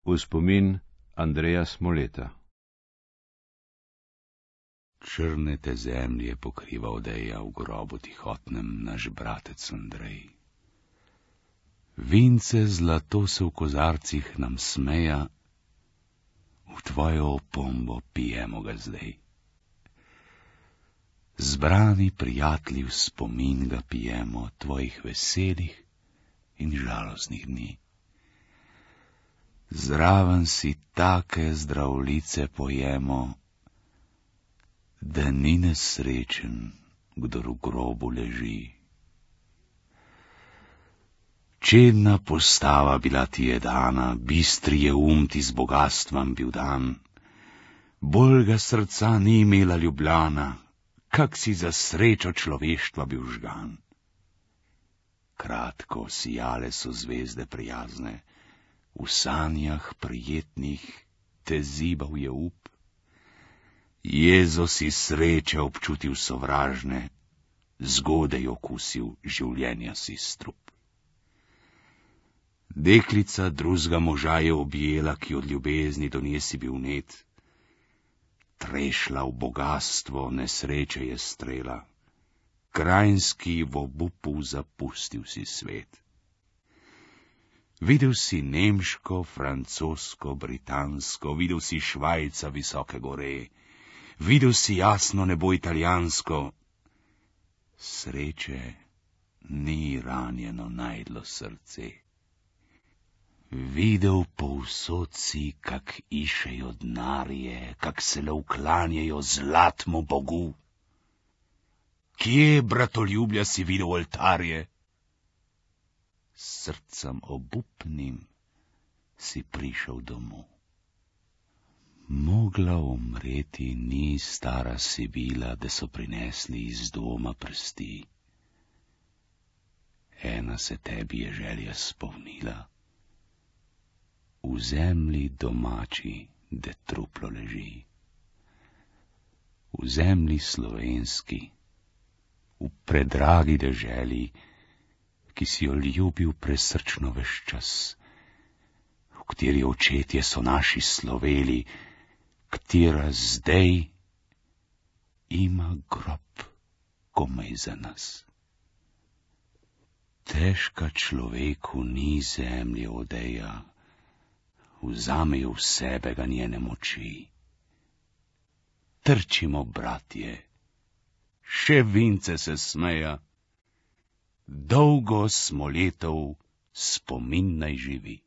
V spomin Andreja Smoleta. Črne te zemlje pokriva odeja, v grobu tihotnem naš bratec Andrej. Vince zlato se v kozarcih nam smeja, v tvojo opombo pijemo ga zdaj. Zbrani prijatelji v spomin ga pijemo, tvojih veselih in žalostnih dni. Zraven si take zdravlice pojemo, da ni nesrečen, kdor v grobu leži. Čedna postava bila ti je dana, bistri je ti z bogatstvom bil dan. Bolj ga srca ni imela Ljubljana, kak si za srečo človeštva bil žgan. Kratko sijale so zvezde prijazne, v sanjah prijetnih te zibal je up. Jezo si sreče občutil sovražne, zgodaj okusil življenja si strup. Deklica drugega moža je objela, ki od ljubezni do nje si bil net. Trešla v bogatstvo, nesreče je strela, krajinski v obupu zapustil si svet. Videl si nemško, francosko, britansko, videl si Švajca visoke gore, videl si jasno nebo italijansko. Sreče ni ranjeno najdlo srce. Videl povsod si, kak išejo denarje, kak se le uklanjajo zlatmu Bogu. Kje, bratoljublja, si videl oltarje? S srcem obupnim si prišel domov. Mogla umreti ni stara Sibila, da so prinesli iz doma prsti. Ena se tebi je želja spomnila. V zemlji domači, de truplo leži. V zemlji slovenski, v predragi deželi, ki si jo ljubil presrčno ves čas, v kateri očetje so naši sloveli, katera zdaj ima grob komaj za nas. Težka človeku ni zemlje odeja, vzamejo v sebe ga njene moči. Trčimo, bratje, še Vince se smeja, dolgo Smoletov spomin naj živi.